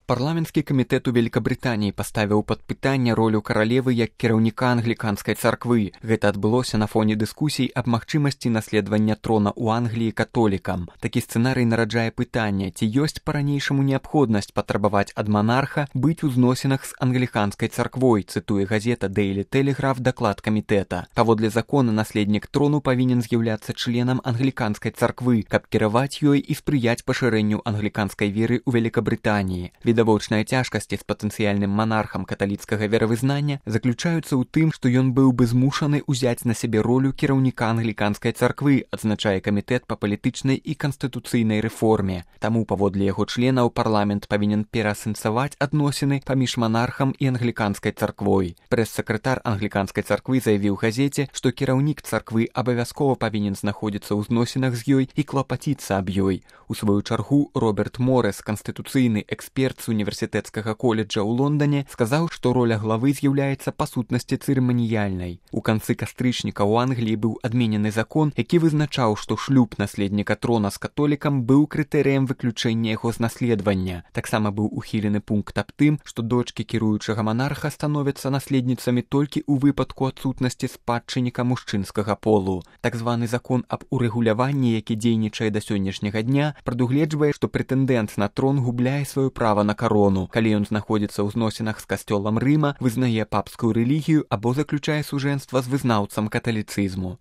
Парламенtsкі камітэт у Великабрытаніі паставіў пад пытанне ролю каралевы як кіраўніка англіканскай царквы. Гэта адбылося на фоне дыскусій аб магчымасці наследавання трона ў Англіі католікам. Такі сцэнарый нараджае пытанне, ці ёсць па-ранейшаму неабходнасць патрабаваць ад манарха быць у зносінах з англіканскай царквой, цытуе газета Daily Telegraph даклад камітэта. Паводле закона наследнік трону павінен з'яўляцца членам англіканскай царквы, каб кіраваць ёй і спрыяць пашырэнню англіканскай веры ў Великабрытаніі. Відавочныя цяжкасці з патэнцыяльным манархам каталіцкага веравызнання заключаюцца ў тым, што ён быў бы змушаны ўзяць на сябе ролю кіраўніка англіканскай царквы, адзначае камітэт па палітычнай і канстытуцыйнай рэформе. Таму, паводле яго членаў, парламент павінен пераасэнсаваць адносіны паміж манархам і англіканскай царквой. Прэс-сакратар англіканскай царквы заявіў газеце, што кіраўнік царквы абавязкова павінен знаходзіцца ў зносінах з ёй і клапаціцца аб ёй. У сваю чаргу Роберт Морес, канстытуцыйны эксперт з універсітэцкага коледжа ў Лондане, сказаў, што роля главы з'яўляецца па сутнасці цырыманіяльнай. У канцы кастрычніка ў Англіі быў адменены закон, які вызначаў, што шлюб наследніка трона з католікам быў крытэрыем выключэння яго з наследавання. Таксама быў ухілены пункт аб тым, што дочкі кіруючага монарха становяцца наследніцамі толькі ў выпадку адсутнасці спадчынніка мужчынскага полу. Так званы закон аб урэгуляванні, які дзейнічае да сённяшняга дня, прадугледжвае, што прэтэндэнт на трон губляе сваё права на карону, калі ён знаходзіцца ў зносінах з касцёлам Рыма, вызнае папскую рэлігію або заключае сужэнства з вызнаўцам каталіцызму.